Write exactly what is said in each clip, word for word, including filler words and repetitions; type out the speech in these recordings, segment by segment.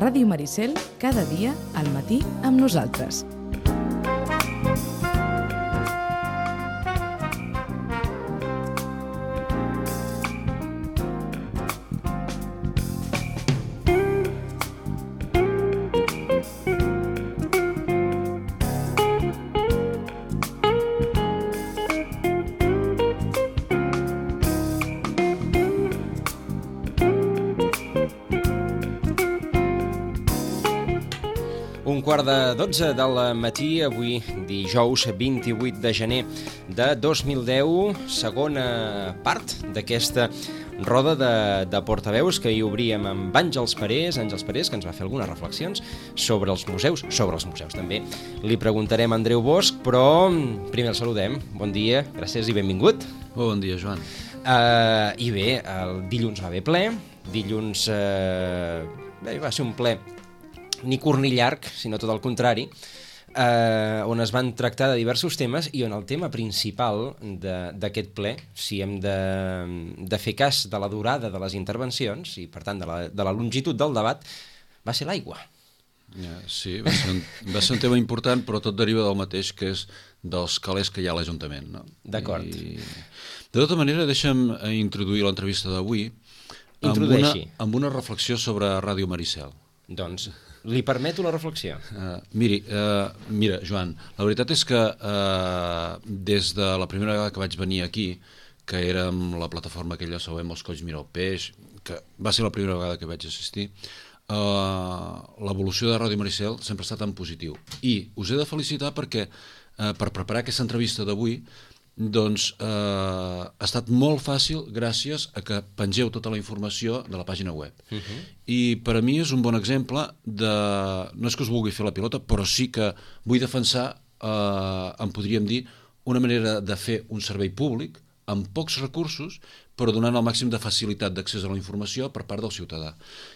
Ràdio Maricel, cada dia al matí amb nosaltres. Un quart de dotze del matí, avui dijous vint-i-vuit de gener de dos mil deu, segona part d'aquesta roda de, de portaveus que hi obríem amb Àngels Parés, Àngels Parés, que ens va fer algunes reflexions sobre els museus, sobre els museus també. Li preguntarem a Andreu Bosch, però primer el saludem. Bon dia, gràcies i benvingut. Bon dia, Joan. Uh, I bé, el dilluns va haver ple, dilluns uh, bé, va ser un ple ni curt ni llarg, sinó tot el contrari, eh, on es van tractar de diversos temes i on el tema principal d'aquest ple, si hem de, de fer cas de la durada de les intervencions i, per tant, de la, de la longitud del debat, va ser l'aigua. Ja, sí, va ser, un, va ser un tema important, però tot deriva del mateix, que és dels calés que hi ha a l'Ajuntament. No? D'acord. I, de tota manera, deixa'm introduir l'entrevista d'avui amb una, amb una reflexió sobre Ràdio Maricel. Doncs li permeto la reflexió. Uh, miri, uh, mira, Joan, la veritat és que uh, des de la primera vegada que vaig venir aquí, que era amb la plataforma aquella Sabem els colls, mira el peix, que va ser la primera vegada que vaig assistir, uh, l'evolució de Ràdio Maricel sempre ha estat en positiu. I us he de felicitar perquè uh, per preparar aquesta entrevista d'avui doncs eh, ha estat molt fàcil gràcies a que pengeu tota la informació de la pàgina web. Uh-huh. I per a mi és un bon exemple de... no és que us vulgui fer la pilota, però sí que vull defensar, eh, en podríem dir, una manera de fer un servei públic amb pocs recursos, però donant el màxim de facilitat d'accés a la informació per part del ciutadà.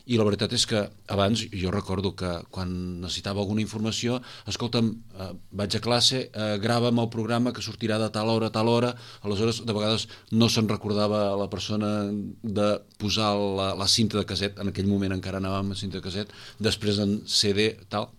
I la veritat és que abans, jo recordo que quan necessitava alguna informació, escolta'm, eh, vaig a classe, eh, grava'm el programa que sortirà de tal hora a tal hora, aleshores de vegades no se'n recordava la persona de posar la, la cinta de caset, en aquell moment encara anàvem a cinta de caset, després en C D, tal.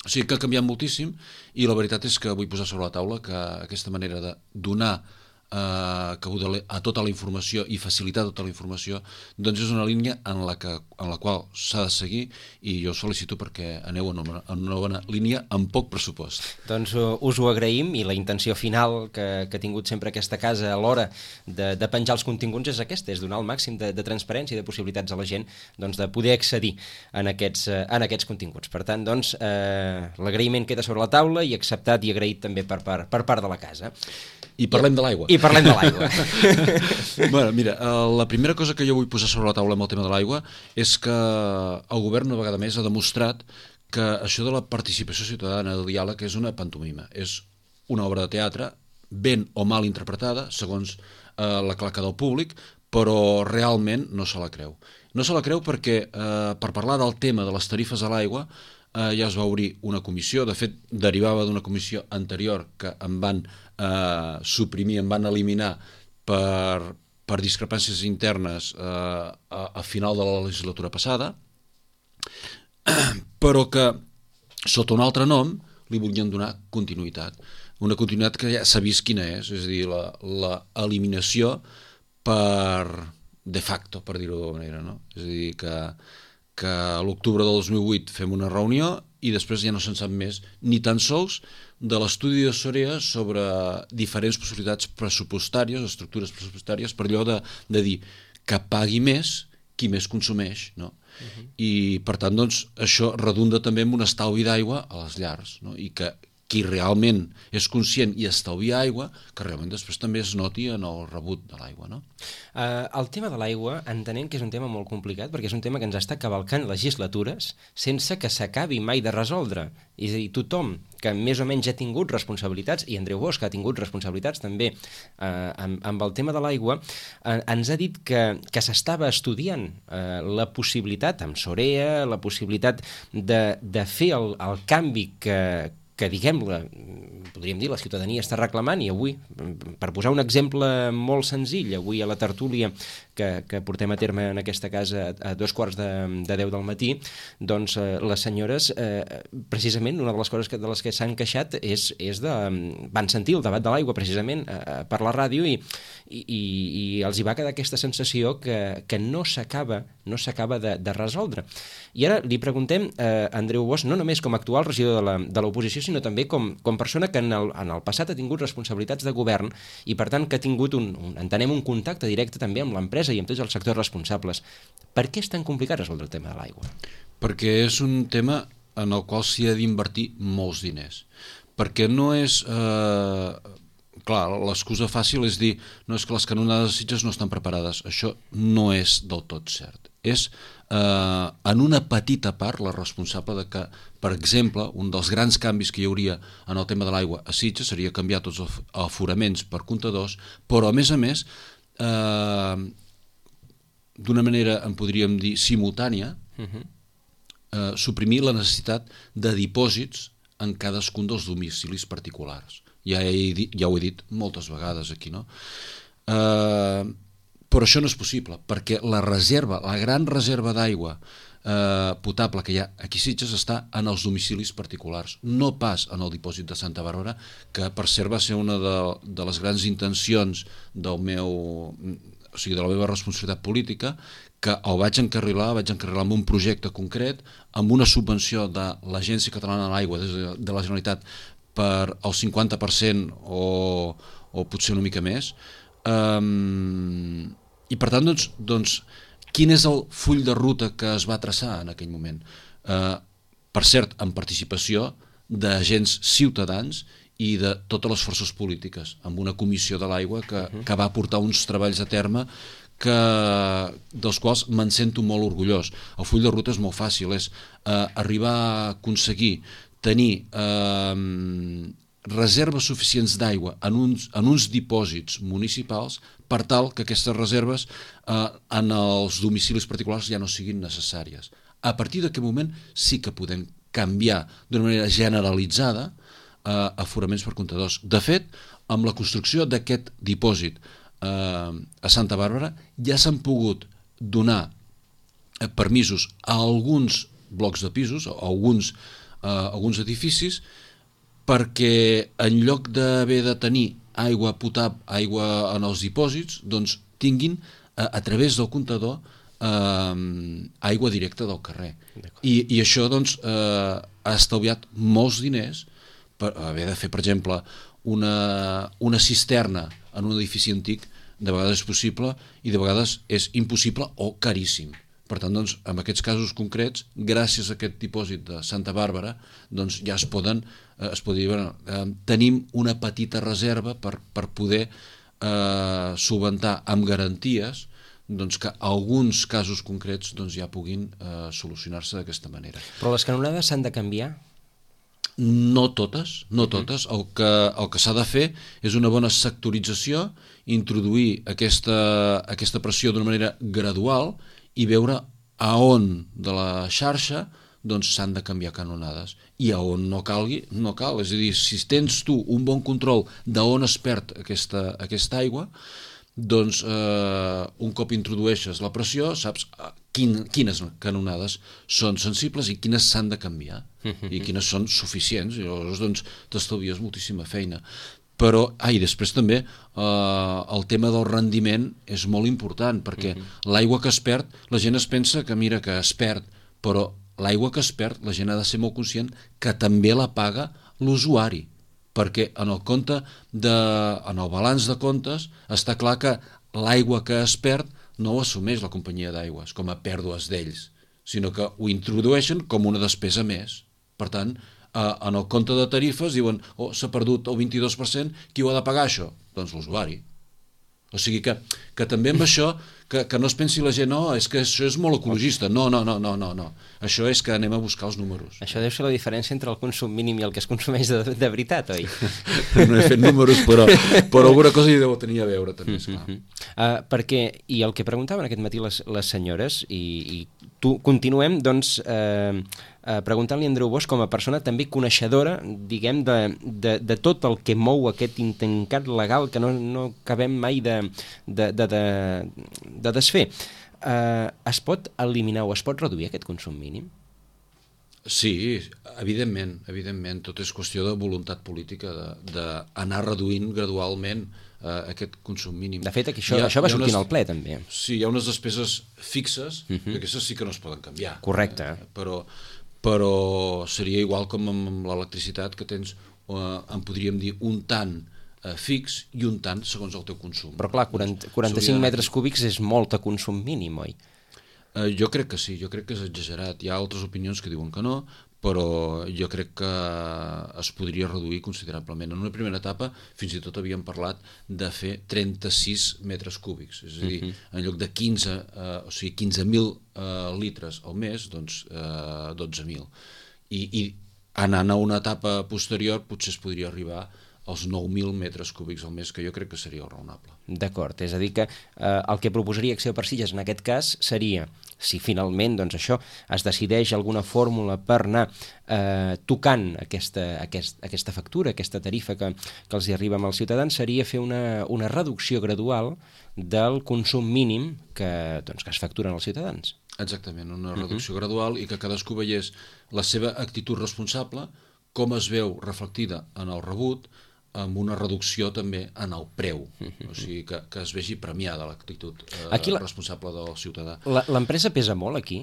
O sigui que ha canviat moltíssim i la veritat és que vull posar sobre la taula que aquesta manera de donar Uh, que a tota la informació i facilitar tota la informació doncs és una línia en la, que, en la qual s'ha de seguir i jo us felicito perquè aneu en una, en una bona línia amb poc pressupost. Doncs uh, us ho agraïm i la intenció final que, que ha tingut sempre aquesta casa a l'hora de, de penjar els continguts és aquesta, és donar el màxim de, de transparència i de possibilitats a la gent doncs, de poder accedir en aquests, uh, en aquests continguts. Per tant, doncs, uh, l'agraïment queda sobre la taula i acceptat i agraït també per, per, per part de la casa. I parlem de l'aigua. I parlem de l'aigua. Bueno, mira, la primera cosa que jo vull posar sobre la taula amb el tema de l'aigua és que el govern una vegada més ha demostrat que això de la participació ciutadana, del diàleg, és una pantomima. És una obra de teatre ben o mal interpretada, segons eh, la claca del públic, però realment no se la creu. No se la creu perquè eh, per parlar del tema de les tarifes a l'aigua eh, ja es va obrir una comissió, de fet derivava d'una comissió anterior que en van eh, suprimir, en van eliminar per, per discrepàncies internes eh, a, a final de la legislatura passada, però que sota un altre nom li volien donar continuïtat. Una continuïtat que ja s'ha vist quina és, és a dir, la, la eliminació per de facto, per dir-ho d'alguna manera, no? És a dir, que que a l'octubre del dos mil vuit fem una reunió i després ja no se'n sap més, ni tan sols de l'estudi de Sorea sobre diferents possibilitats pressupostàries, estructures pressupostàries, per allò de, de dir que pagui més qui més consumeix, no? Uh-huh. I per tant, doncs, això redunda també en un estalvi d'aigua a les llars, no? I que qui realment és conscient i estalvia aigua, que realment després també es noti en el rebut de l'aigua, no? Uh, el tema de l'aigua entenem que és un tema molt complicat perquè és un tema que ens està cavalcant legislatures sense que s'acabi mai de resoldre. És a dir, tothom que més o menys ha tingut responsabilitats, i Andreu Bosch ha tingut responsabilitats també uh, amb, amb el tema de l'aigua, uh, ens ha dit que, que s'estava estudiant uh, la possibilitat, amb Sorea, la possibilitat de, de fer el, el canvi que que diguem-la, podríem dir, la ciutadania està reclamant, i avui, per posar un exemple molt senzill, avui a la tertúlia que, que portem a terme en aquesta casa a dos quarts de, de deu del matí, doncs eh, les senyores, eh, precisament, una de les coses que, de les que s'han queixat és, és de... van sentir el debat de l'aigua, precisament, eh, per la ràdio, i, i, i els hi va quedar aquesta sensació que, que no s'acaba no s'acaba de, de resoldre. I ara li preguntem a eh, Andreu Bosch, no només com a actual regidor de l'oposició, sinó també com, com persona que en el, en el passat ha tingut responsabilitats de govern i, per tant, que ha tingut un, un, entenem, un contacte directe també amb l'empresa i amb tots els sectors responsables. Per què és tan complicat resoldre el tema de l'aigua? Perquè és un tema en el qual s'hi ha d'invertir molts diners. Perquè no és... Eh... Clar, l'excusa fàcil és dir no és que les canonades de Sitges no estan preparades. Això no és del tot cert. És eh, en una petita part la responsable de que, per exemple, un dels grans canvis que hi hauria en el tema de l'aigua a Sitges seria canviar tots els aforaments per comptadors, però a més a més, eh, d'una manera, en podríem dir, simultània, uh-huh. eh, suprimir la necessitat de dipòsits en cadascun dels domicilis particulars. Ja, he dit, ja ho he dit moltes vegades aquí, no? Eh, però això no és possible, perquè la reserva, la gran reserva d'aigua eh, potable que hi ha aquí a Sitges està en els domicilis particulars, no pas en el dipòsit de Santa Bàrbara, que per cert va ser una de, de les grans intencions del meu, o sigui, de la meva responsabilitat política, que el vaig encarrilar, vaig encarrilar amb un projecte concret, amb una subvenció de l'Agència Catalana de l'Aigua de, de la Generalitat per el cinquanta per cent o, o potser una mica més. Um, I per tant, doncs, doncs, quin és el full de ruta que es va traçar en aquell moment? Uh, per cert, amb participació d'agents ciutadans i de totes les forces polítiques, amb una comissió de l'aigua que, que va portar uns treballs a terme que, dels quals me'n sento molt orgullós. El full de ruta és molt fàcil, és uh, arribar a aconseguir tenir eh, reserves suficients d'aigua en, uns, en uns dipòsits municipals per tal que aquestes reserves eh, en els domicilis particulars ja no siguin necessàries. A partir d'aquest moment sí que podem canviar d'una manera generalitzada eh, aforaments per comptadors. De fet, amb la construcció d'aquest dipòsit eh, a Santa Bàrbara ja s'han pogut donar eh, permisos a alguns blocs de pisos, a alguns Uh, alguns edificis, perquè en lloc d'haver de tenir aigua potable, aigua en els dipòsits, doncs tinguin uh, a través del comptador uh, aigua directa del carrer. I, i això doncs, uh, ha estalviat molts diners per haver de fer, per exemple, una, una cisterna en un edifici antic. De vegades és possible i de vegades és impossible o caríssim. Per tant, doncs, en aquests casos concrets, gràcies a aquest dipòsit de Santa Bàrbara, doncs ja es poden, eh, es pot dir, bueno, eh, tenim una petita reserva per, per poder eh, solventar amb garanties doncs, que alguns casos concrets doncs, ja puguin eh, solucionar-se d'aquesta manera. Però les canonades s'han de canviar? No totes, no totes. El que, el que s'ha de fer és una bona sectorització, introduir aquesta, aquesta pressió d'una manera gradual i veure a on de la xarxa doncs s'han de canviar canonades i a on no calgui, no cal. És a dir, si tens tu un bon control d'on es perd aquesta, aquesta aigua, doncs eh, un cop introdueixes la pressió saps quin, quines canonades són sensibles i quines s'han de canviar i quines són suficients i llavors doncs t'estalvies moltíssima feina. Però, ah, i després també eh, el tema del rendiment és molt important, perquè uh-huh. l'aigua que es perd, la gent es pensa que mira que es perd, però l'aigua que es perd, la gent ha de ser molt conscient que també la paga l'usuari, perquè en el compte de, en el balanç de comptes està clar que l'aigua que es perd no ho assumeix la companyia d'aigües com a pèrdues d'ells, sinó que ho introdueixen com una despesa més. Per tant, en el compte de tarifes diuen oh, s'ha perdut el vint-i-dos per cent, qui ho ha de pagar això? Doncs l'usuari. O sigui que, que també amb això que, que no es pensi la gent no, és que això és molt ecologista, no, no, no, no, no, no. Això és que anem a buscar els números. Això deu ser la diferència entre el consum mínim i el que es consumeix de, de veritat, oi? No he fet números, però, però alguna cosa hi deu tenir a veure també, esclar. Uh, perquè, i el que preguntaven aquest matí les, les senyores, i, i tu, continuem, doncs, eh, eh, preguntant-li a Andreu Bosch com a persona també coneixedora, diguem, de, de, de tot el que mou aquest intencat legal que no, no acabem mai de, de, de, de, de desfer. Eh, es pot eliminar o es pot reduir aquest consum mínim? Sí, evidentment, evidentment, tot és qüestió de voluntat política, d'anar reduint gradualment eh, aquest consum mínim. De fet, això, ha, això va sortir unes, al ple, també. Sí, hi ha unes despeses fixes, uh-huh. que aquestes sí que no es poden canviar. Correcte. Eh, però, però seria igual com amb l'electricitat, que tens, eh, en podríem dir, un tant eh, fix i un tant segons el teu consum. Però clar, quaranta, quaranta-cinc metres cúbics és molt a consum mínim, oi? Uh, jo crec que sí, jo crec que és exagerat. Hi ha altres opinions que diuen que no, però jo crec que es podria reduir considerablement. En una primera etapa fins i tot havíem parlat de fer trenta-sis metres cúbics, és a dir, uh-huh. en lloc de quinze, uh, o sigui, quinze mil uh, litres al mes, doncs uh, dotze mil. I, I anant a una etapa posterior potser es podria arribar als nou mil metres cúbics al mes, que jo crec que seria raonable. D'acord, és a dir que eh, el que proposaria Acció per Sitges en aquest cas seria, si finalment doncs això es decideix alguna fórmula per anar eh, tocant aquesta, aquest, aquesta factura, aquesta tarifa que, que els hi arriba als ciutadans, seria fer una, una reducció gradual del consum mínim que, doncs, que es facturen als ciutadans. Exactament, una reducció uh-huh. gradual i que cadascú veiés la seva actitud responsable, com es veu reflectida en el rebut, amb una reducció també en el preu, o sigui, que, que es vegi premiada l'actitud eh, la... responsable del ciutadà. L'empresa pesa molt aquí?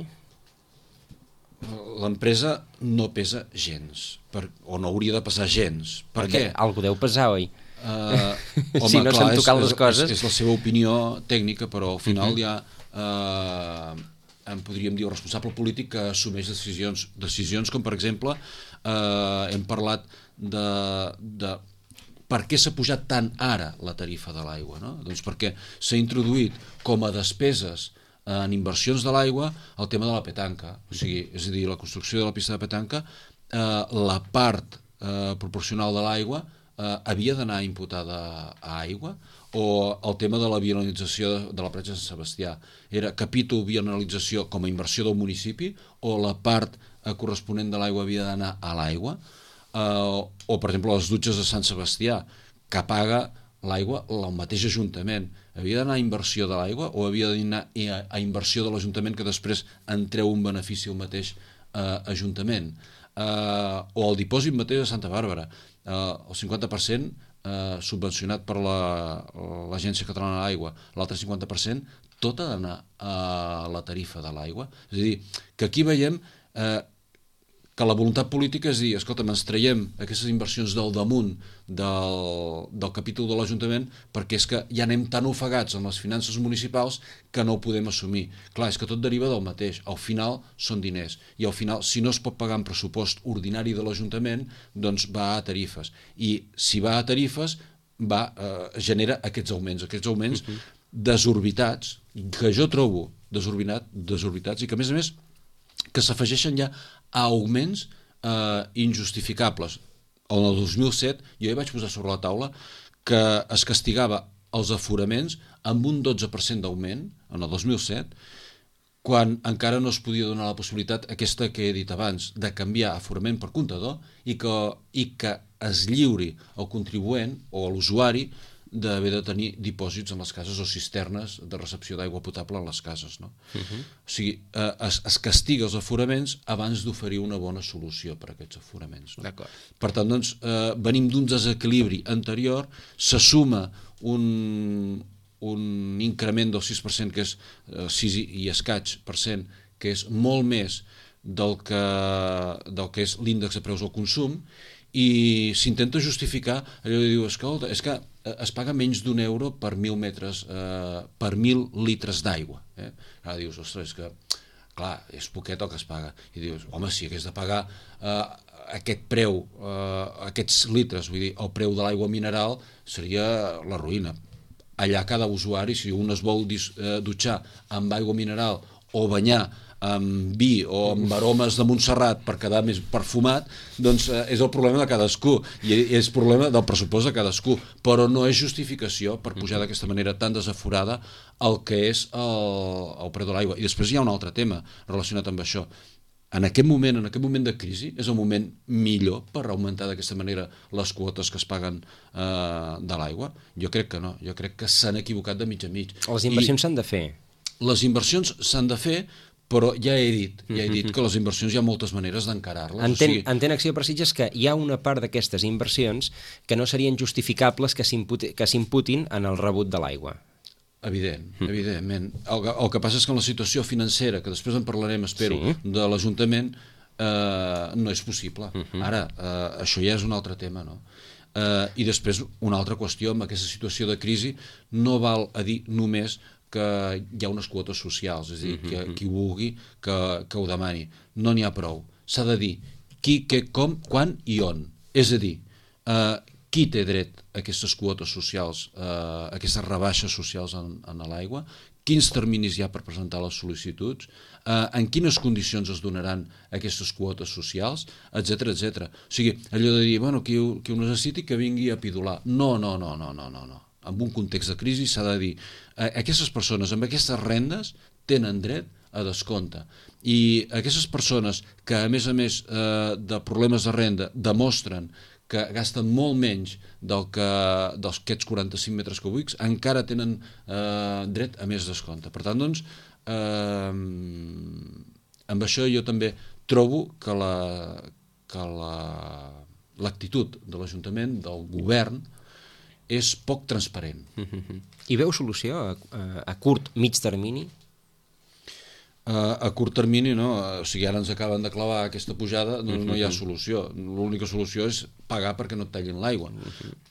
L'empresa no pesa gens, per, o no hauria de pesar gens. Per què? Algú deu pesar, oi? Uh, home, si no clar, s'han tocat és, les coses... És, és la seva opinió tècnica, però al final uh-huh. hi ha... Uh, en podríem dir el responsable polític que assumeix decisions, decisions com per exemple eh, hem parlat de, de per què s'ha pujat tant ara la tarifa de l'aigua, no? Doncs perquè s'ha introduït com a despeses en inversions de l'aigua el tema de la petanca, o sigui, és a dir, la construcció de la pista de petanca, eh, la part eh, proporcional de l'aigua eh, havia d'anar imputada a aigua, o el tema de la vianalització de la platja de Sant Sebastià. Era capítol vianalització com a inversió del municipi o la part eh, corresponent de l'aigua havia d'anar a l'aigua, eh, o per exemple les dutxes de Sant Sebastià, que paga l'aigua el mateix Ajuntament. Havia d'anar a inversió de l'aigua o havia d'anar a, a inversió de l'Ajuntament que després en treu un benefici al mateix eh, Ajuntament? Eh, o el dipòsit mateix de Santa Bàrbara, eh, el cinquanta per cent Eh, subvencionat per l'Agència Catalana de l'Aigua, l'altre cinquanta per cent tot ha d'anar a la tarifa de l'aigua. És a dir, que aquí veiem eh, que la voluntat política és dir, escolta, ens traiem aquestes inversions del damunt del, del capítol de l'Ajuntament perquè és que ja anem tan ofegats en les finances municipals que no ho podem assumir. Clar, és que tot deriva del mateix. Al final són diners. I al final, si no es pot pagar en pressupost ordinari de l'Ajuntament, doncs va a tarifes. I si va a tarifes, va, eh, genera aquests augments. Aquests augments uh-huh. desorbitats, que jo trobo desorbitat, desorbitats i que, a més a més, que s'afegeixen ja a augments eh, injustificables. En el dos mil set jo ja vaig posar sobre la taula que es castigava els aforaments amb un dotze per cent d'augment en el dos mil set, quan encara no es podia donar la possibilitat aquesta que he dit abans, de canviar aforament per comptador i que, i que es lliuri al contribuent o a l'usuari d'haver de tenir dipòsits en les cases o cisternes de recepció d'aigua potable en les cases. No? Uh-huh. O sigui, eh, es, es castiga els aforaments abans d'oferir una bona solució per a aquests aforaments. No? D'acord. Per tant, doncs, eh, venim d'un desequilibri anterior, se suma un, un increment del sis per cent, que és eh, sis i escaig per cent, que és molt més del que, del que és l'índex de preus al consum, i s'intenta justificar allò de dir, escolta, és que es paga menys d'un euro per mil metres, eh, per mil litres d'aigua. Eh? Ara dius, ostres, és que, clar, és poquet el que es paga. I dius, home, si hagués de pagar eh, aquest preu, eh, aquests litres, vull dir, el preu de l'aigua mineral seria la ruïna. Allà cada usuari, si un es vol dis, eh, dutxar amb aigua mineral o banyar amb vi o amb aromes de Montserrat per quedar més perfumat, doncs eh, és el problema de cadascú i és problema del pressupost de cadascú, però no és justificació per pujar d'aquesta manera tan desaforada el que és el, el preu de l'aigua. I després hi ha un altre tema relacionat amb això. En aquest moment, en aquest moment de crisi, és el moment millor per augmentar d'aquesta manera les quotes que es paguen eh, de l'aigua? Jo crec que no, jo crec que s'han equivocat de mig a mig. Les inversions s'han de fer. Les inversions s'han de fer, però ja he dit, ja he dit que les inversions hi ha moltes maneres d'encarar-les. Entén, o sigui... entén Acció per Sitges que hi ha una part d'aquestes inversions que no serien justificables que s'imputin en el rebut de l'aigua. Evident, evidentment. El, el que passa és que en la situació financera, que després en parlarem, espero, sí. de l'Ajuntament, eh, no és possible. Uh-huh. Ara, eh, això ja és un altre tema, no? Eh, I després, una altra qüestió, amb aquesta situació de crisi, no val a dir només que hi ha unes quotes socials, és a dir, que qui vulgui que, que ho demani. No n'hi ha prou. S'ha de dir qui, què, com, quan i on. És a dir, eh, qui té dret a aquestes quotes socials, eh, a aquestes rebaixes socials en, en l'aigua, quins terminis hi ha per presentar les sol·licituds, eh, en quines condicions es donaran aquestes quotes socials, etcètera, etcètera. O sigui, allò de dir, bueno, qui, qui ho necessiti que vingui a pidolar. No, no, no, no, no, no, no. En un context de crisi s'ha de dir, eh, aquestes persones amb aquestes rendes tenen dret a descompte. I aquestes persones que, a més a més eh, de problemes de renda, demostren que gasten molt menys del que, dels aquests quaranta-cinc metres cúbics, encara tenen eh, dret a més descompte. Per tant, doncs, eh, amb això jo també trobo que la que la, l'actitud de l'Ajuntament, del govern, és poc transparent. Mm-hmm. I veu solució a, a, a curt, mig termini? Uh, a curt termini, no? O sigui, ara ens acaben de clavar aquesta pujada, doncs no hi ha solució. L'única solució és pagar perquè no et tallin l'aigua.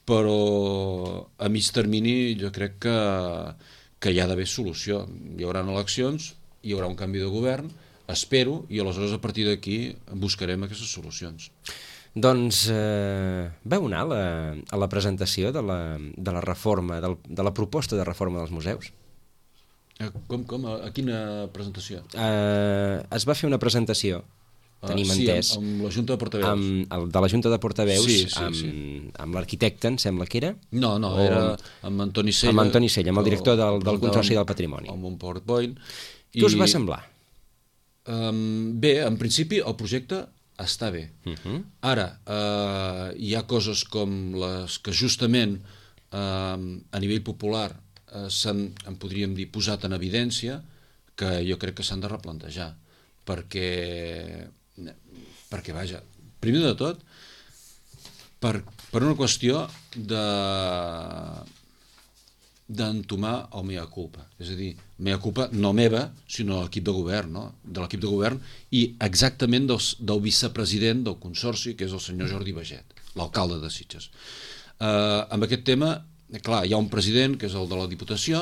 Però a mig termini jo crec que, que hi ha d'haver solució. Hi haurà eleccions, hi haurà un canvi de govern, espero, i aleshores a partir d'aquí buscarem aquestes solucions. Doncs eh, vau anar a la, a la presentació de la, de la reforma, del, de la proposta de reforma dels museus? Com, com? A quina presentació? Uh, es va fer una presentació, uh, tenim sí, entès. Amb, amb la Junta de Portaveus. Amb, el, de la Junta de Portaveus, sí, sí, amb, sí. amb l'arquitecte, em sembla que era? No, no, o, era amb Antoni Sella. Amb Antoni Sella, amb el director del, del Consorci del Patrimoni. Amb un PowerPoint. Què I, us va semblar? Um, bé, en principi el projecte està bé. Uh-huh. Ara, uh, hi ha coses com les que justament uh, a nivell popular s'han, en podríem dir, posat en evidència, que jo crec que s'han de replantejar, perquè, perquè vaja, primer de tot, per, per una qüestió de d'entomar el mea culpa, és a dir, mea culpa no meva, sinó l'equip de govern, no? De l'equip de govern i exactament del, del vicepresident del Consorci, que és el senyor Jordi Baget, l'alcalde de Sitges. Eh, amb aquest tema, clar, hi ha un president, que és el de la Diputació,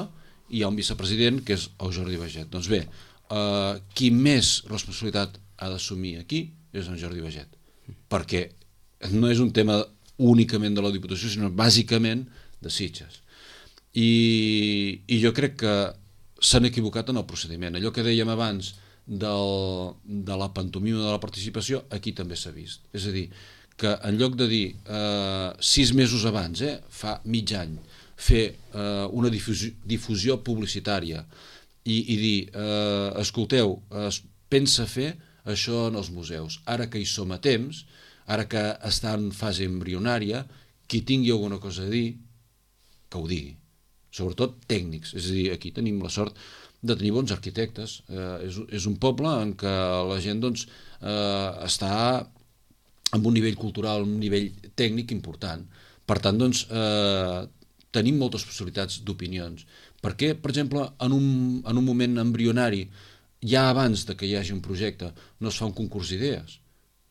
i hi ha un vicepresident, que és el Jordi Baget. Doncs bé, eh, qui més responsabilitat ha d'assumir aquí és en Jordi Baget, perquè no és un tema únicament de la Diputació, sinó bàsicament de Sitges. I, i jo crec que s'han equivocat en el procediment. Allò que dèiem abans del, de la pantomima de la participació, aquí també s'ha vist. És a dir, que en lloc de dir eh, sis mesos abans, eh, fa mig any, fer eh, una difusió, difusió publicitària i, i dir, eh, escolteu, es pensa fer això en els museus. Ara que hi som a temps, ara que està en fase embrionària, qui tingui alguna cosa a dir, que ho digui. Sobretot tècnics. És a dir, aquí tenim la sort de tenir bons arquitectes. Eh, és, és un poble en què la gent doncs, eh, està amb un nivell cultural, un nivell tècnic important. Per tant, doncs, eh, tenim moltes possibilitats d'opinions. Per què, per exemple, en un, en un moment embrionari, ja abans de que hi hagi un projecte, no es fa un concurs d'idees?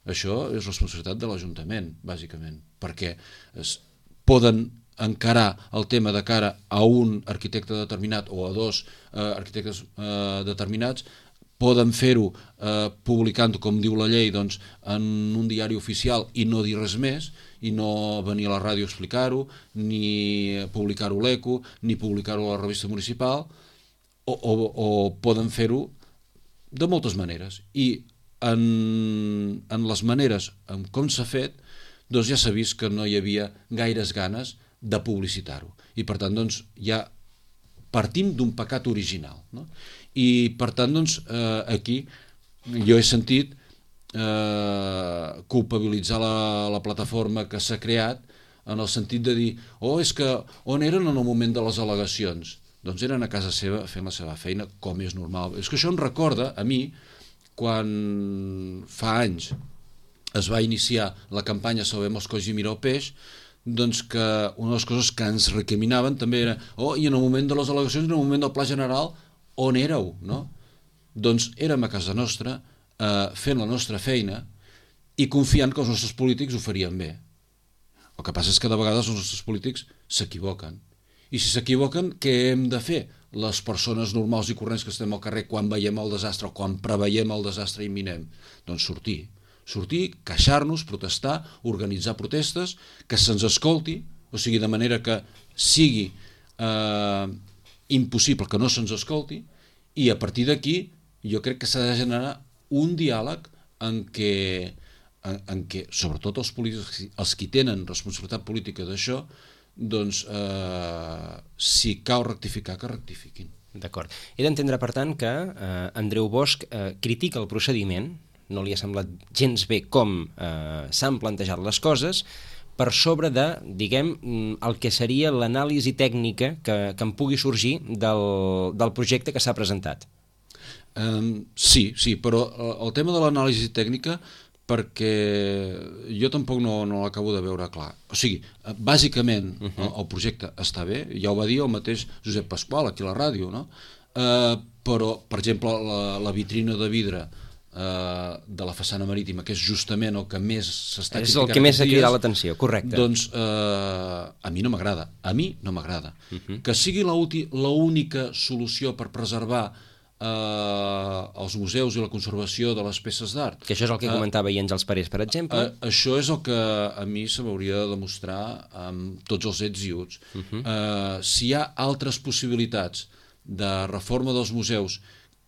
Això és responsabilitat de l'Ajuntament, bàsicament, perquè es poden encarar el tema de cara a un arquitecte determinat o a dos eh, arquitectes eh, determinats, poden fer-ho eh, publicant, com diu la llei, doncs, en un diari oficial i no dir res més, i no venir a la ràdio a explicar-ho, ni publicar-ho a l'Eco, ni publicar-ho a la revista municipal, o, o, o poden fer-ho de moltes maneres. I en, en les maneres en com s'ha fet, doncs ja s'ha vist que no hi havia gaires ganes de publicitar-ho. I per tant, doncs, ja partim d'un pecat original. No? I per tant, doncs, eh, aquí jo he sentit eh, culpabilitzar la, la plataforma que s'ha creat en el sentit de dir, oh, és que on eren en el moment de les al·legacions? Doncs eren a casa seva fent la seva feina, com és normal. És que això em recorda a mi quan fa anys es va iniciar la campanya Salvem els colls i mira el peix, doncs que una de les coses que ens recriminaven també era, oh, i en el moment de les al·legacions, en el moment del pla general, on éreu? No? Doncs érem a casa nostra, eh, fent la nostra feina i confiant que els nostres polítics ho farien bé. El que passa és que de vegades els nostres polítics s'equivoquen. I si s'equivoquen, què hem de fer? Les persones normals i corrents que estem al carrer quan veiem el desastre o quan preveiem el desastre imminent? Doncs sortir. Sortir, queixar-nos, protestar, organitzar protestes, que se'ns escolti, o sigui, de manera que sigui eh, impossible que no se'ns escolti, i a partir d'aquí jo crec que s'ha de generar un diàleg en què, en, en què sobretot els polítics, els qui tenen responsabilitat política d'això, doncs eh, si cal rectificar, que rectifiquin. D'acord. He d'entendre, per tant, que eh, Andreu Bosch eh, critica el procediment, no li ha semblat gens bé com eh, s'han plantejat les coses, per sobre de, diguem, el que seria l'anàlisi tècnica que, que en pugui sorgir del, del projecte que s'ha presentat. Um, sí, sí, però el tema de l'anàlisi tècnica, perquè jo tampoc no, no l'acabo de veure clar. O sigui, bàsicament uh -huh. el, el projecte està bé, ja ho va dir el mateix Josep Pasqual aquí a la ràdio, no? Uh, però, per exemple, la, la vitrina de vidre Uh, de la façana marítima, que és justament el que més s'està criticant, és el que més s'ha cridat l'atenció, correcte. Doncs uh, a mi no m'agrada, a mi no m'agrada. Uh -huh. Que sigui l'única solució per preservar uh, els museus i la conservació de les peces d'art. Que això és el que uh, comentava ahir Àngels Parés, per exemple. Uh, això és el que a mi se m'hauria de demostrar amb tots els ets i uts. Uh -huh. uh, si hi ha altres possibilitats de reforma dels museus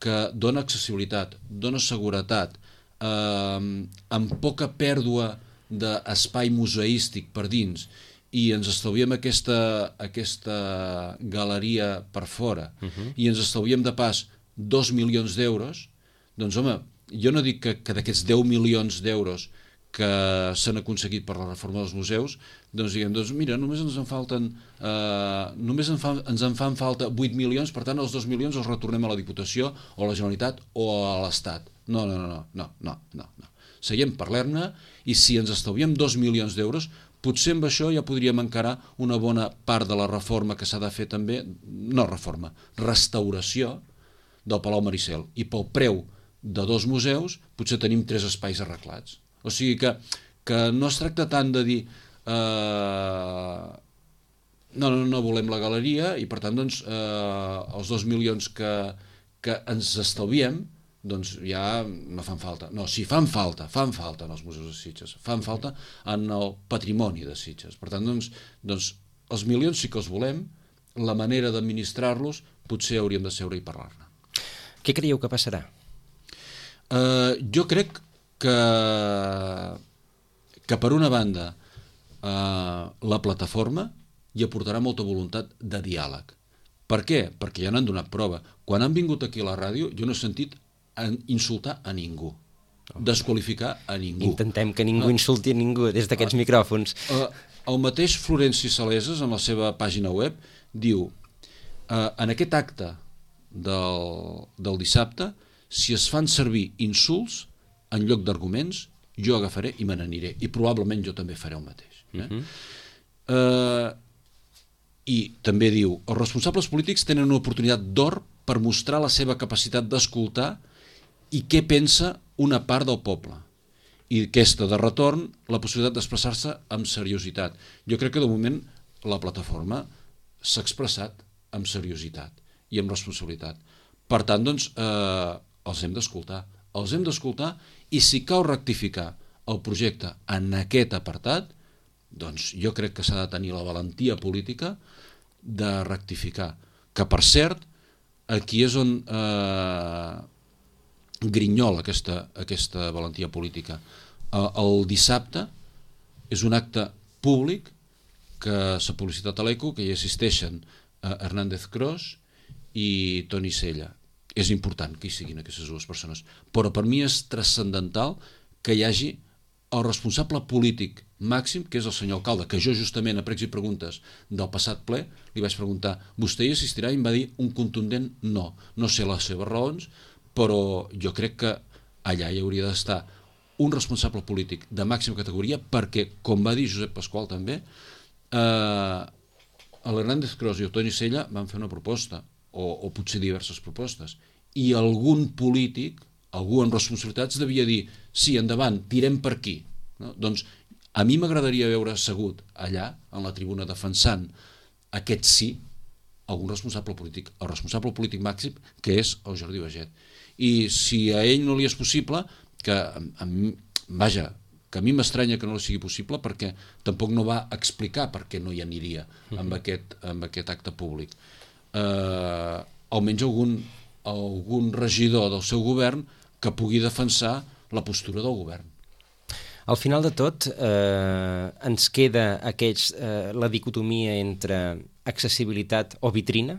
que dona accessibilitat, dona seguretat, eh, amb poca pèrdua d'espai museístic per dins, i ens estalviem aquesta, aquesta galeria per fora, uh-huh. i ens estalviem de pas dos milions d'euros, doncs home, jo no dic que, que d'aquests deu milions d'euros que s'han aconseguit per la reforma dels museus, doncs diguem, doncs mira, només ens en falten eh, només en fa, ens en fan falta vuit milions, per tant els dos milions els retornem a la Diputació o a la Generalitat o a l'Estat. No, no, no, no, no, no, no, no. Seguim, parlem-ne, i si ens estalviem dos milions d'euros, potser amb això ja podríem encarar una bona part de la reforma que s'ha de fer també, no reforma, restauració del Palau Maricel, i pel preu de dos museus potser tenim tres espais arreglats. O sigui que, que no es tracta tant de dir eh, no, no, no volem la galeria i per tant doncs, eh, els dos milions que, que ens estalviem doncs ja no fan falta. No, sí, fan falta, fan falta en els museus de Sitges, fan falta en el patrimoni de Sitges. Per tant, doncs, doncs els milions sí que els volem, la manera d'administrar-los potser hauríem de seure i parlar-ne. Què creieu que passarà? Eh, jo crec que, que per una banda eh, la plataforma hi aportarà molta voluntat de diàleg. Per què? Perquè ja n'han donat prova. Quan han vingut aquí a la ràdio jo no he sentit insultar a ningú, desqualificar a ningú. Intentem que ningú insulti a ningú des d'aquests micròfons. Eh, el mateix Florenci Saleses en la seva pàgina web diu eh, en aquest acte del, del dissabte, si es fan servir insults en lloc d'arguments, jo agafaré i me n'aniré, i probablement jo també faré el mateix. Eh? Uh-huh. eh, I també diu, els responsables polítics tenen una oportunitat d'or per mostrar la seva capacitat d'escoltar i què pensa una part del poble. I aquesta, de retorn, la possibilitat d'expressar-se amb seriositat. Jo crec que de moment la plataforma s'ha expressat amb seriositat i amb responsabilitat. Per tant, doncs, eh, els hem d'escoltar. Els hem d'escoltar i si cal rectificar el projecte en aquest apartat, doncs jo crec que s'ha de tenir la valentia política de rectificar. Que, per cert, aquí és on eh, grinyola aquesta, aquesta valentia política. El dissabte és un acte públic que s'ha publicitat a l'Eco, que hi assisteixen Hernández Cros i Toni Sella. És important que hi siguin aquestes dues persones, però per mi és transcendental que hi hagi el responsable polític màxim, que és el senyor alcalde, que jo justament a pregs i preguntes del passat ple li vaig preguntar, vostè hi assistirà? I em va dir un contundent no. No sé les seves raons, però jo crec que allà hi hauria d'estar un responsable polític de màxima categoria perquè, com va dir Josep Pasqual també, eh, l'Hernández Cros i el Toni Sella van fer una proposta, o, o potser diverses propostes, i algun polític, algú amb responsabilitats devia dir, sí, endavant, tirem per aquí. No? Doncs a mi m'agradaria veure assegut allà, en la tribuna, defensant aquest sí, algun responsable polític, el responsable polític màxim, que és el Jordi Baiget. I si a ell no li és possible, que a, a mi, vaja, que a mi m'estranya que no li sigui possible perquè tampoc no va explicar per què no hi aniria amb aquest, amb aquest acte públic. Eh, almenys algun, algun regidor del seu govern que pugui defensar la postura del govern. Al final de tot, eh, ens queda aquests, eh, la dicotomia entre accessibilitat o vitrina?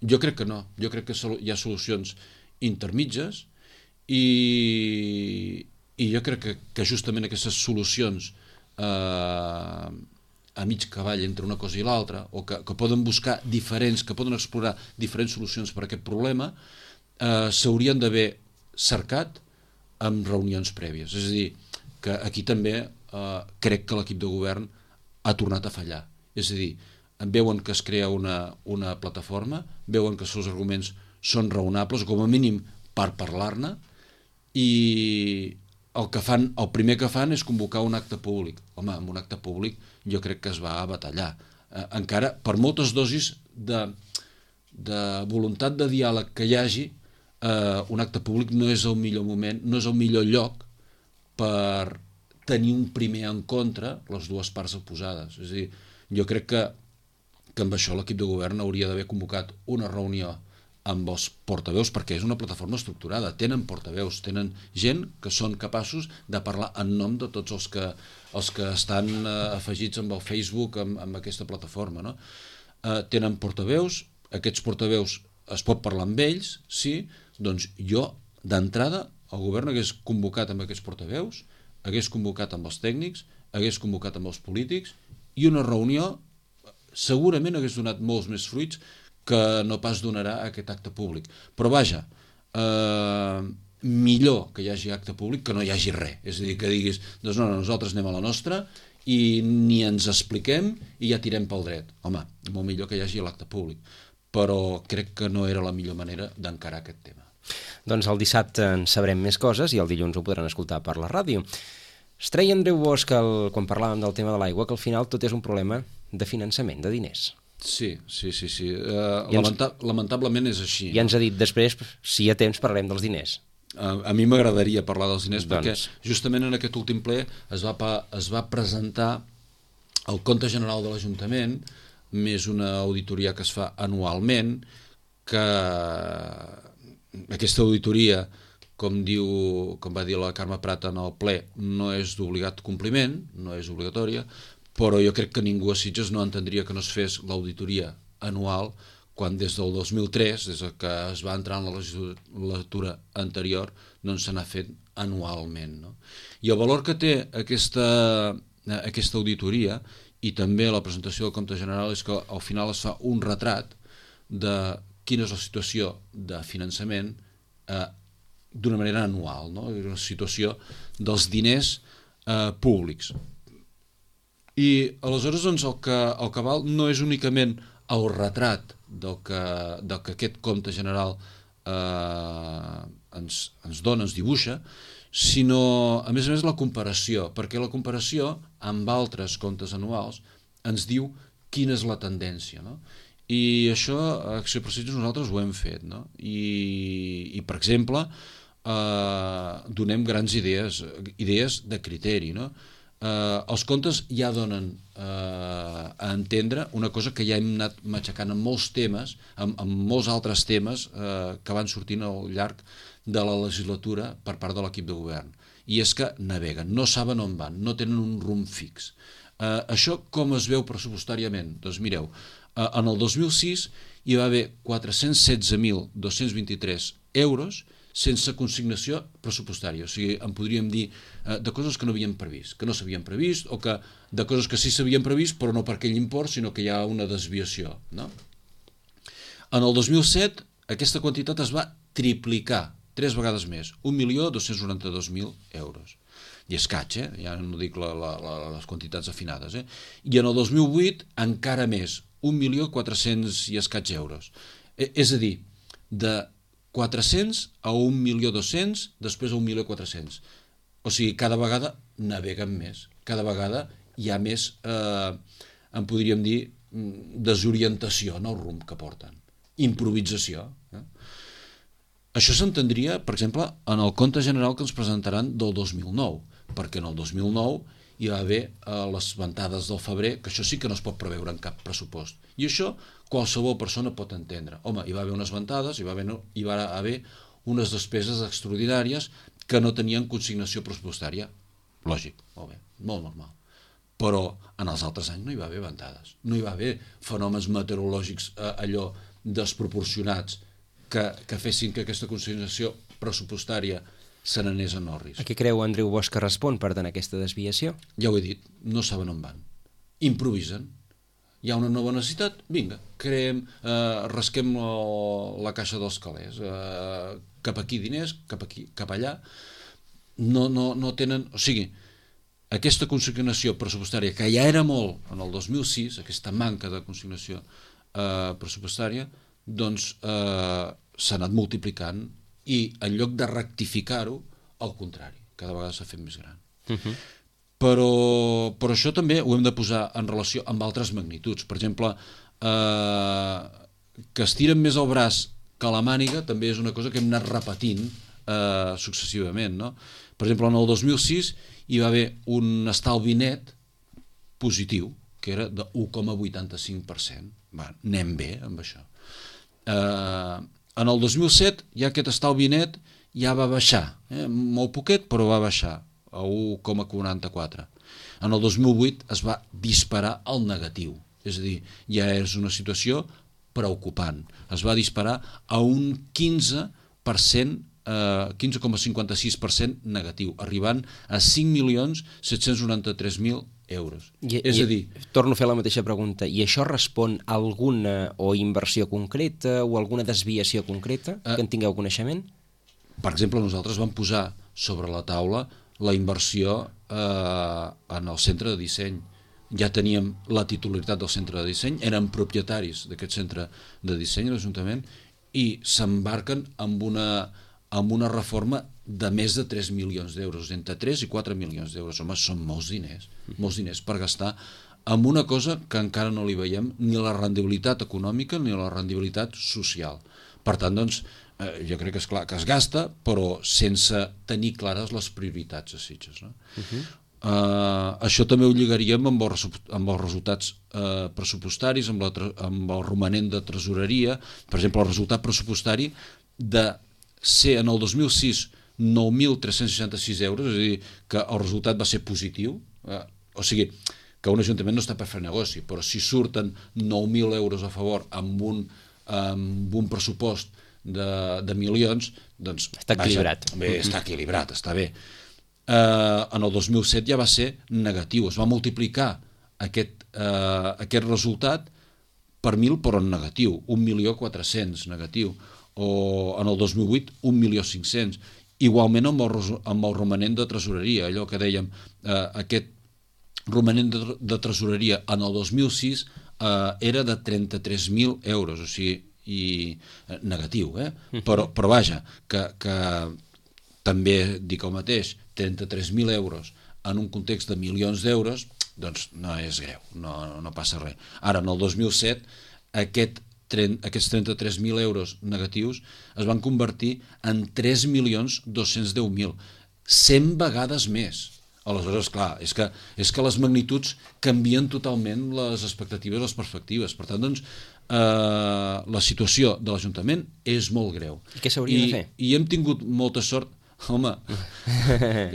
Jo crec que no. Jo crec que hi ha solucions intermitges i, i jo crec que, que justament aquestes solucions eh, a mig cavall entre una cosa i l'altra, o que, que poden buscar diferents, que poden explorar diferents solucions per a aquest problema, eh, s'haurien d'haver cercat amb reunions prèvies. És a dir, que aquí també eh, crec que l'equip de govern ha tornat a fallar. És a dir, veuen que es crea una, una plataforma, veuen que els seus arguments són raonables, com a mínim per parlar-ne, i el que fan, el primer que fan és convocar un acte públic. Home, amb un acte públic jo crec que es va a batallar. Eh, encara, per moltes dosis de, de voluntat de diàleg que hi hagi, eh, un acte públic no és el millor moment, no és el millor lloc per tenir un primer en contra les dues parts oposades. És a dir, jo crec que, que amb això l'equip de govern hauria d'haver convocat una reunió amb els portaveus, perquè és una plataforma estructurada, tenen portaveus, tenen gent que són capaços de parlar en nom de tots els que, els que estan eh, afegits amb el Facebook, amb, amb aquesta plataforma, no? Eh, tenen portaveus, aquests portaveus es pot parlar amb ells, sí, doncs jo, d'entrada, el govern hagués convocat amb aquests portaveus, hagués convocat amb els tècnics, hagués convocat amb els polítics, i una reunió segurament hagués donat molts més fruits que no pas donarà aquest acte públic. Però vaja, eh, millor que hi hagi acte públic que no hi hagi res. És a dir, que diguis, doncs no, no, nosaltres anem a la nostra i ni ens expliquem i ja tirem pel dret. Home, molt millor que hi hagi l'acte públic. Però crec que no era la millor manera d'encarar aquest tema. Doncs el dissabte en sabrem més coses i el dilluns ho podran escoltar per la ràdio. Es treia Andreu Bosch, el, quan parlàvem del tema de l'aigua, que al final tot és un problema de finançament, de diners. Sí, sí, sí. sí. Uh, lamenta lamentablement és així. I ens ha dit després, si hi ha temps, parlarem dels diners. A, a mi m'agradaria parlar dels diners doncs... perquè justament en aquest últim ple es va, es va presentar el compte general de l'Ajuntament, més una auditoria que es fa anualment, que aquesta auditoria, com diu, com va dir la Carme Prat en el ple, no és d'obligat compliment, no és obligatòria, però jo crec que ningú a Sitges no entendria que no es fes l'auditoria anual quan des del dos mil tres, des que es va entrar en la legislatura anterior, doncs se n'ha fet anualment. No? I el valor que té aquesta, aquesta auditoria i també la presentació del compte general és que al final es fa un retrat de quina és la situació de finançament eh, d'una manera anual, no? La situació dels diners eh, públics. I aleshores doncs, el, que, el que val no és únicament el retrat del que, del que aquest compte general eh, ens, ens dona, ens dibuixa, sinó a més a més la comparació, perquè la comparació amb altres comptes anuals ens diu quina és la tendència, no? I això a Acció per Sitges nosaltres ho hem fet, no? I, i per exemple eh, donem grans idees, idees de criteri, no? Eh, els comptes ja donen eh, a entendre una cosa que ja hem anat matxacant en molts temes, en, en molts altres temes eh, que van sortint al llarg de la legislatura per part de l'equip de govern. I és que naveguen, no saben on van, no tenen un rumb fix. Eh, això com es veu pressupostàriament? Doncs mireu, eh, en el dos mil sis hi va haver quatre-cents setze mil dos-cents vint-i-tres euros sense consignació pressupostària. O sigui, en podríem dir eh, de coses que no havíem previst, que no s'havien previst, o que de coses que sí s'havien previst, però no per aquell import, sinó que hi ha una desviació. No? En el dos mil set, aquesta quantitat es va triplicar, tres vegades més, un milió dos-cents noranta-dos mil euros. I escaig, eh? Ja no dic la, la, la, les quantitats afinades. Eh? I en el dos mil vuit, encara més, un milió quatre-cents i escaig euros. Eh, és a dir, de quatre-cents a un milió dos-cents, després a un milió quatre-cents. O sigui, cada vegada naveguen més, cada vegada hi ha més, eh, en podríem dir, desorientació en el rumb que porten, improvisació. Eh? Això s'entendria, per exemple, en el compte general que ens presentaran del dos mil nou, perquè en el dos mil nou hi va haver eh, les ventades del febrer, que això sí que no es pot preveure en cap pressupost. I això qualsevol persona pot entendre. Home, hi va haver unes ventades, hi va haver, hi va haver unes despeses extraordinàries que no tenien consignació pressupostària. Lògic, molt bé, molt normal. Però en els altres anys no hi va haver ventades. No hi va haver fenòmens meteorològics eh, allò desproporcionats que, que fessin que aquesta consignació pressupostària se n'anés en orris. A què creu Andreu Bosch que respon, per tant, aquesta desviació? Ja ho he dit, no saben on van. Improvisen. Hi ha una nova necessitat, vinga, creem, eh, rasquem la, la caixa dels calés, eh, cap aquí diners, cap aquí, cap allà. No, no, no tenen... O sigui, aquesta consignació pressupostària, que ja era molt en el dos mil sis, aquesta manca de consignació eh, pressupostària, doncs eh, s'ha anat multiplicant i en lloc de rectificar-ho, al contrari, cada vegada s'ha fet més gran. Uh-huh. Però, però això també ho hem de posar en relació amb altres magnituds. Per exemple, eh, que estiren més el braç que la màniga també és una cosa que hem anat repetint eh, successivament. No? Per exemple, en el dos mil sis hi va haver un estalvi net positiu, que era de u coma vuitanta-cinc per cent. Va, anem bé amb això. Eh, en el dos mil set ja aquest estalvi net ja va baixar, eh? molt poquet, però va baixar a u coma quaranta-quatre. En el dos mil vuit es va disparar al negatiu, és a dir, ja és una situació preocupant. Es va disparar a un quinze per cent, eh, quinze coma cinquanta-sis per cent negatiu, arribant a cinc milions set-cents noranta-tres mil euros. I, és i, a dir... Torno a fer la mateixa pregunta. I això respon a alguna o inversió concreta o alguna desviació concreta que en tingueu coneixement? Per exemple, nosaltres vam posar sobre la taula la inversió eh, en el centre de disseny. Ja teníem la titularitat del centre de disseny, eren propietaris d'aquest centre de disseny a l'Ajuntament i s'embarquen amb una, amb una reforma de més de tres milions d'euros, entre tres i quatre milions d'euros. Home, són molts diners, molts diners per gastar amb una cosa que encara no li veiem ni la rendibilitat econòmica ni la rendibilitat social. Per tant, doncs, eh, jo crec que és clar que es gasta, però sense tenir clares les prioritats a Sitges. No? Uh-huh. eh, això també ho lligaríem amb els, amb els resultats eh, pressupostaris, amb, la, amb el romanent de tresoreria. Per exemple, el resultat pressupostari de ser en el dos mil sis nou mil tres-cents seixanta-sis euros, és a dir, que el resultat va ser positiu, eh, o sigui, que un ajuntament no està per fer negoci, però si surten nou mil euros a favor amb un, amb un pressupost de, de milions, doncs... Està equilibrat. Vaja, bé, està equilibrat, està bé. Eh, en el dos mil set ja va ser negatiu, es va multiplicar aquest, eh, aquest resultat per mil, però en negatiu, un milió quatre-cents negatiu, o en el dos mil vuit un milió cinc-cents. Igualment amb el, amb el romanent de tresoreria, allò que dèiem, eh, aquest romanent de, de tresoreria en el dos mil sis eh, era de trenta-tres mil euros, o sigui, i, eh, negatiu, eh? però, però vaja, que, que també dic el mateix, trenta-tres mil euros en un context de milions d'euros, doncs no és greu, no, no passa res. Ara, en el dos mil set, aquest aquests trenta-tres mil euros negatius es van convertir en tres milions dos-cents deu mil, cent vegades més. Aleshores, clar, és que, és que les magnituds canvien totalment les expectatives, les perspectives. Per tant, doncs, eh, la situació de l'Ajuntament és molt greu. I què s'hauria de fer? I hem tingut molta sort. Home,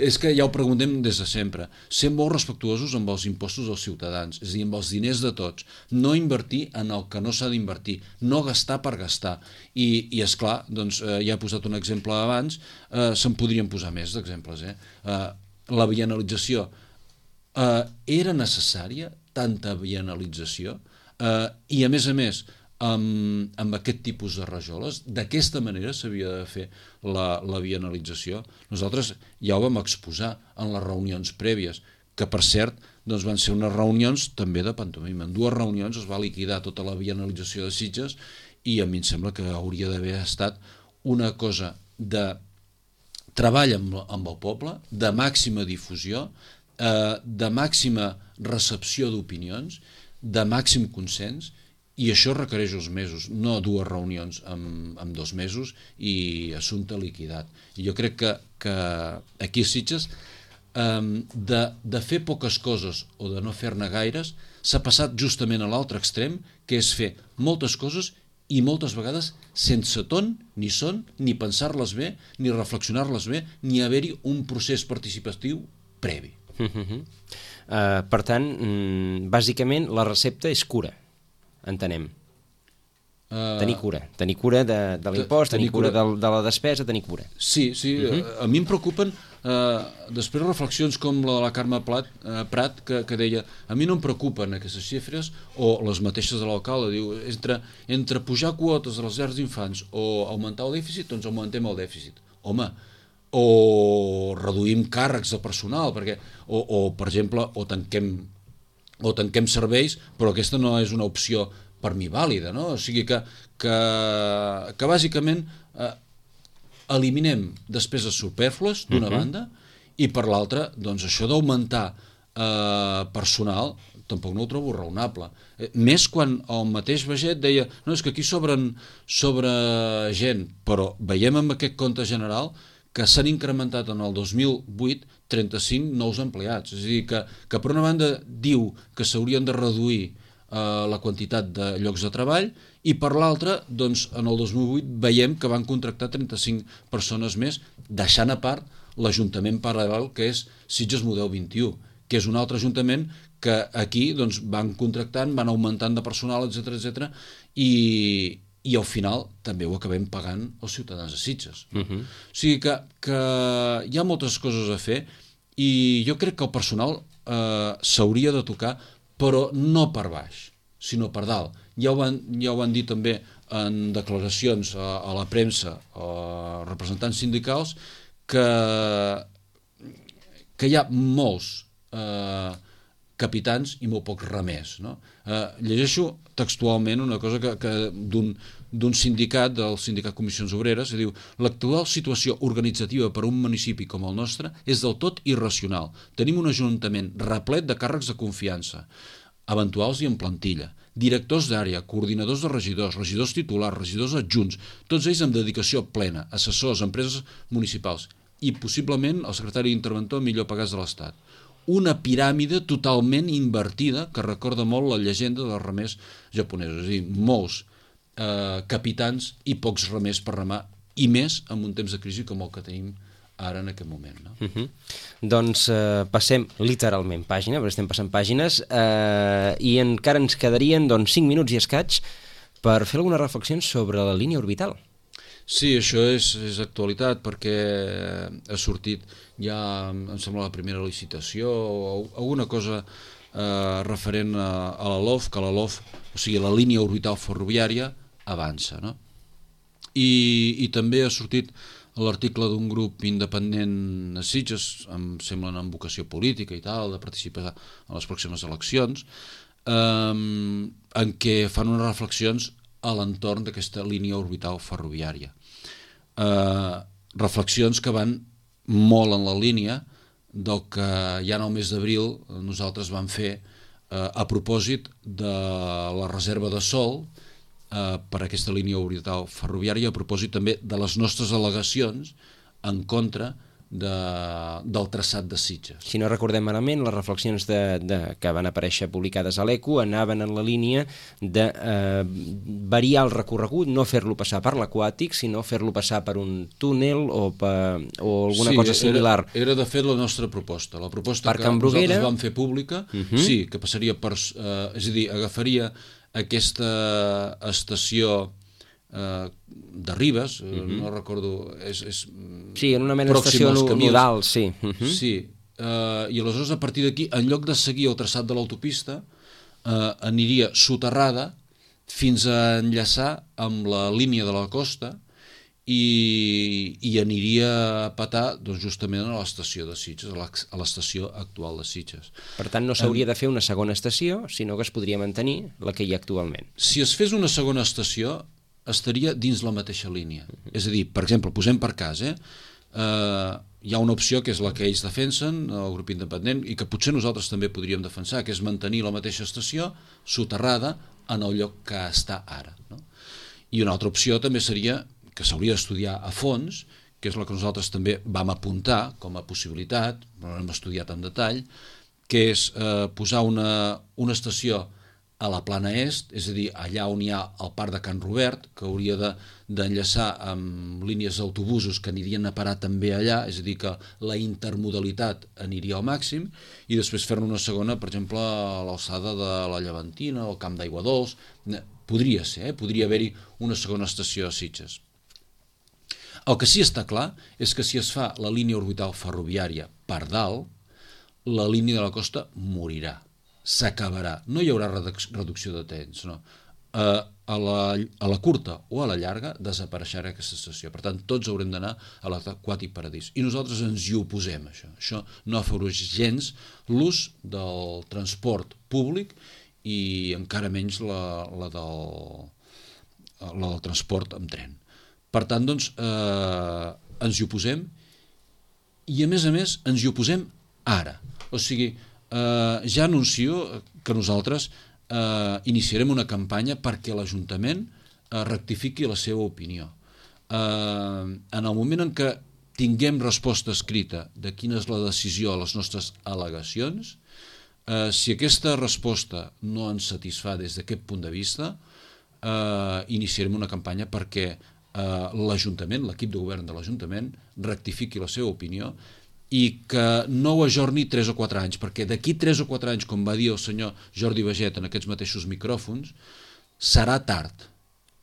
és que ja ho preguntem des de sempre. Ser molt respectuosos amb els impostos dels ciutadans, és a dir, amb els diners de tots. No invertir en el que no s'ha d'invertir, no gastar per gastar. I, i esclar, doncs, eh, ja he posat un exemple abans, eh, se'n podrien posar més d'exemples. Eh? Eh, la bienalització. Eh, era necessària tanta bienalització? Eh, I a més a més, Amb, amb aquest tipus de rajoles, d'aquesta manera s'havia de fer la, la bienalització. Nosaltres ja ho vam exposar en les reunions prèvies, que per cert doncs van ser unes reunions també de pantomima. En dues reunions es va liquidar tota la bienalització de Sitges i a mi em sembla que hauria d'haver estat una cosa de treball amb, amb el poble, de màxima difusió, eh, de màxima recepció d'opinions, de màxim consens. I això requereix uns mesos, no dues reunions en, en dos mesos i assumpte liquidat. I jo crec que, que aquí a Sitges, um, de, de fer poques coses o de no fer-ne gaires, s'ha passat justament a l'altre extrem, que és fer moltes coses i moltes vegades sense ton, ni son, ni pensar-les bé, ni reflexionar-les bé, ni haver-hi un procés participatiu previ. Uh-huh. uh, per tant, mm, bàsicament, la recepta és cura. Entenem. Uh, tenir cura. Tenir cura de, de l'impost, tenir cura, cura de, de la despesa, tenir cura. Sí, sí. Uh-huh. A, a mi em preocupen uh, després reflexions com la de la Carme Plat, uh, Prat, que, que deia, a mi no em preocupen aquestes xifres, o les mateixes de l'alcalde, diu, entre, entre pujar quotes de les llars d'infants o augmentar el dèficit, doncs augmentem el dèficit. Home, o reduïm càrrecs de personal, perquè, o, o per exemple, o tanquem o tanquem serveis, però aquesta no és una opció per mi vàlida, no? O sigui que, que, que bàsicament eh, eliminem despeses superflues d'una uh-huh. banda i per l'altra, doncs això d'augmentar eh, personal tampoc no ho trobo raonable. Eh, més quan el mateix Baget deia no, és que aquí sobren, sobre gent, però veiem en aquest compte general que s'han incrementat en el dos mil vuit trenta-cinc nous empleats. És a dir, que, que per una banda diu que s'haurien de reduir eh, la quantitat de llocs de treball i per l'altra, doncs, en el dos mil vuit veiem que van contractar trenta-cinc persones més, deixant a part l'Ajuntament paral·lel que és Sitges Model vint-i-u, que és un altre ajuntament que aquí doncs, van contractant, van augmentant de personal, etcètera, etcètera, i i al final també ho acabem pagant els ciutadans de Sitges. Uh-huh. O sigui que, que hi ha moltes coses a fer i jo crec que el personal eh, s'hauria de tocar, però no per baix, sinó per dalt. Ja ho van, ja ho van dir també en declaracions a, a la premsa, a representants sindicals, que, que hi ha molts eh, capitans i molt pocs remers. No? Eh, llegeixo textualment una cosa que, que d'un d'un sindicat, del sindicat Comissions Obreres, que diu l'actual situació organitzativa per a un municipi com el nostre és del tot irracional. Tenim un ajuntament replet de càrrecs de confiança, eventuals i en plantilla, directors d'àrea, coordinadors de regidors, regidors titulars, regidors adjunts, tots ells amb dedicació plena, assessors, empreses municipals i possiblement el secretari d'interventor millor pagats de l'Estat. Una piràmide totalment invertida que recorda molt la llegenda dels remers japonesos, és a dir, molts eh, capitans i pocs remers per remar, i més en un temps de crisi com el que tenim ara en aquest moment. No? Uh-huh. Doncs eh, passem literalment pàgina, perquè estem passant pàgines, eh, i encara ens quedarien doncs, cinc minuts i escaig per fer algunes reflexions sobre la línia orbital. Sí, això és, és actualitat perquè ha sortit ja, em sembla, la primera licitació o alguna cosa eh, referent a, a la L O F, que la L O F, o sigui, la línia orbital ferroviària, avança. No? I, I també ha sortit l'article d'un grup independent a Sitges, em sembla amb vocació política i tal, de participar a les pròximes eleccions, eh, en què fan unes reflexions a l'entorn d'aquesta línia orbital ferroviària. Eh, reflexions que van molt en la línia del que ja en el mes d'abril nosaltres vam fer eh, a propòsit de la reserva de sòl eh, per aquesta línia orbital ferroviària, a propòsit també de les nostres al·legacions en contra de, del traçat de Sitges. Si no recordem malament, les reflexions de, de, que van aparèixer publicades a l'Eco anaven en la línia de eh, variar el recorregut, no fer-lo passar per l'Aquàtic, sinó fer-lo passar per un túnel o, per, o alguna sí, cosa similar. Era, era de fet la nostra proposta. La proposta per que Can Bruguera... nosaltres vam fer pública, uh -huh. sí, que passaria per... Eh, és a dir, agafaria aquesta estació eh, de Ribes, uh -huh. no recordo... És, és sí, en una mena d'estació nodal, sí. Uh -huh. Sí, eh, i aleshores a partir d'aquí, en lloc de seguir el traçat de l'autopista, eh, aniria soterrada fins a enllaçar amb la línia de la costa i, i aniria a patar doncs, justament a l'estació de Sitges, a l'estació actual de Sitges. Per tant, no s'hauria de fer una segona estació, sinó que es podria mantenir la que hi ha actualment. Si es fes una segona estació, estaria dins la mateixa línia. Uh-huh. És a dir, per exemple, posem per cas, eh? Uh, hi ha una opció que és la que ells defensen, el grup independent, i que potser nosaltres també podríem defensar, que és mantenir la mateixa estació soterrada en el lloc que està ara. No? I una altra opció també seria, que s'hauria d'estudiar a fons, que és la que nosaltres també vam apuntar com a possibilitat, però no hem estudiat en detall, que és eh, posar una, una estació a la plana est, és a dir, allà on hi ha el parc de Can Robert, que hauria d'enllaçar de, amb línies d'autobusos que anirien a parar també allà, és a dir, que la intermodalitat aniria al màxim, i després fer-ne una segona, per exemple, a l'alçada de la Llevantina, o el Camp d'Aigua Dols. Podria ser, eh? Podria haver-hi una segona estació a Sitges. El que sí està clar és que si es fa la línia orbital ferroviària per dalt, la línia de la costa morirà, s'acabarà. No hi haurà reducció de trens, no. A, a, la, a la curta o a la llarga desapareixerà aquesta estació. Per tant, tots haurem d'anar a l'Aquàtic Paradís. I nosaltres ens hi oposem, això. Això no afavoreix gens l'ús del transport públic i encara menys la, la, del, la del transport amb tren. Per tant, doncs, eh, ens hi oposem i, a més a més, ens hi oposem ara. O sigui, eh, ja anuncio que nosaltres eh, iniciarem una campanya perquè l'Ajuntament eh, rectifiqui la seva opinió. Eh, en el moment en què tinguem resposta escrita de quina és la decisió a les nostres al·legacions, eh, si aquesta resposta no ens satisfà des d'aquest punt de vista, eh, iniciarem una campanya perquè Uh, l'Ajuntament, l'equip de govern de l'Ajuntament rectifiqui la seva opinió i que no ho ajorni tres o quatre anys, perquè d'aquí tres o quatre anys, com va dir el senyor Jordi Baget en aquests mateixos micròfons, serà tard.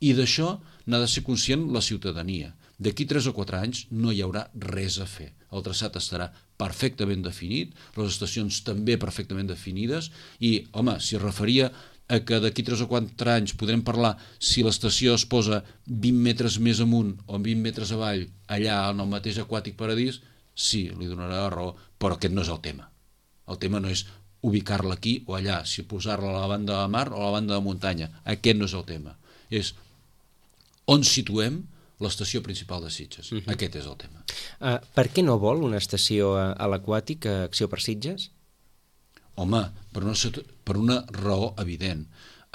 I d'això n'ha de ser conscient la ciutadania. D'aquí tres o quatre anys no hi haurà res a fer. El traçat estarà perfectament definit, les estacions també perfectament definides i, home, si es referia a que d'aquí tres o quatre anys podrem parlar si l'estació es posa vint metres més amunt o vint metres avall allà en el mateix Aquàtic Paradís, sí, li donarà la raó, però aquest no és el tema. El tema no és ubicar-la aquí o allà, si posar-la a la banda de la mar o a la banda de muntanya. Aquest no és el tema. És on situem l'estació principal de Sitges. Uh-huh. Aquest és el tema. Uh, per què no vol una estació a, a l'Aquàtic, a Acció per Sitges? Home, per una, per una raó evident,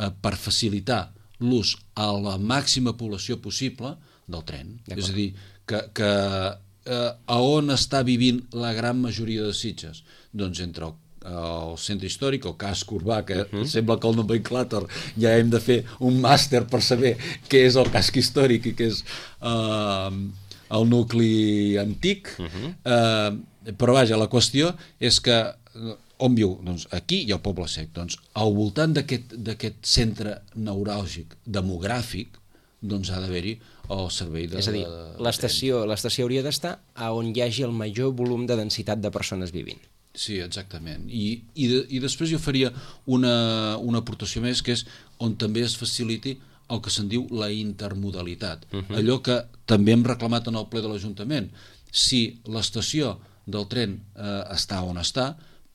eh, per facilitar l'ús a la màxima població possible del tren. És a dir, que, que eh, a on està vivint la gran majoria de Sitges? Doncs entre el, el centre històric, el casc urbà, que uh-huh. sembla que el nomenclàtor ja hem de fer un màster per saber què és el casc històric i què és eh, el nucli antic, uh-huh. eh, però vaja, la qüestió és que on viu? Doncs aquí hi ha el Poble Sec. Doncs al voltant d'aquest centre neuràlgic demogràfic doncs ha d'haver-hi el servei de... És a dir, l'estació hauria d'estar on hi hagi el major volum de densitat de persones vivint. Sí, exactament. I, i, de, i després jo faria una, una aportació més, que és on també es faciliti el que se'n diu la intermodalitat. Uh-huh. Allò que també hem reclamat en el ple de l'Ajuntament. Si l'estació del tren eh, està on està,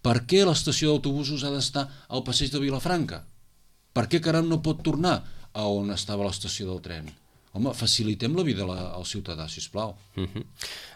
per què l'estació d'autobusos ha d'estar al passeig de Vilafranca? Per què caram no pot tornar a on estava l'estació del tren? Home, facilitem la vida al ciutadà, sisplau. Uh-huh.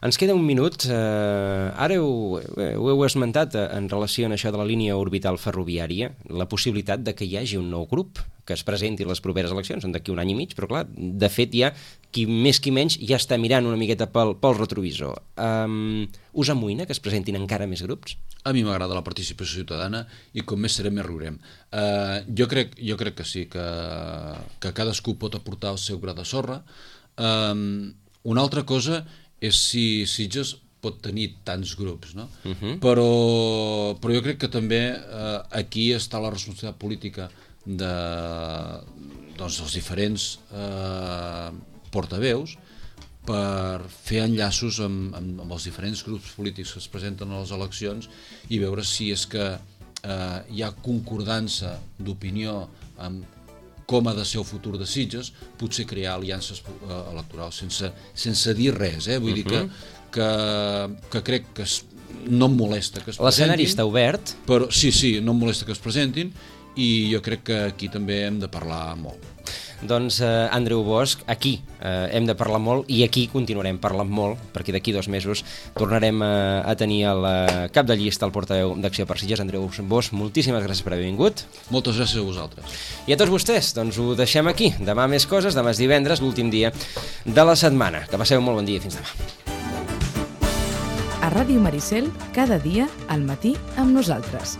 Ens queda un minut. Uh, ara ho, ho heu esmentat en relació a això de la línia orbital ferroviària, la possibilitat de que hi hagi un nou grup que es presenti les properes eleccions, són d'aquí un any i mig, però clar, de fet ja, qui més qui menys, ja està mirant una miqueta pel, pel retrovisor. Um, us amoïna que es presentin encara més grups? A mi m'agrada la participació ciutadana i com més serem més riurem. Uh, jo, crec, jo crec que sí, que, que cadascú pot aportar el seu gra de sorra. Um, una altra cosa és si Sitges pot tenir tants grups, no? Uh-huh. però, però jo crec que també eh, aquí està la responsabilitat política de, doncs, dels diferents eh, portaveus per fer enllaços amb, amb, amb els diferents grups polítics que es presenten a les eleccions i veure si és que eh, hi ha concordança d'opinió amb com ha de ser el futur de Sitges, potser crear aliances eh, electorals sense, sense dir res, eh? Vull uh-huh. dir que Que, que crec que es, no em molesta que es presentin. L'escenari està obert. Però, sí, sí, no em molesta que es presentin i jo crec que aquí també hem de parlar molt. Doncs, eh, Andreu Bosch, aquí eh, hem de parlar molt i aquí continuarem parlant molt, perquè d'aquí dos mesos tornarem a, a tenir el cap de llista, el portaveu d'Acció per Sitges, Andreu Bosch. Moltíssimes gràcies per haver vingut. Moltes gràcies a vosaltres. I a tots vostès, doncs ho deixem aquí. Demà més coses, demà és divendres, l'últim dia de la setmana. Que passeu un molt bon dia i fins demà. A Ràdio Maricel, cada dia al matí amb nosaltres.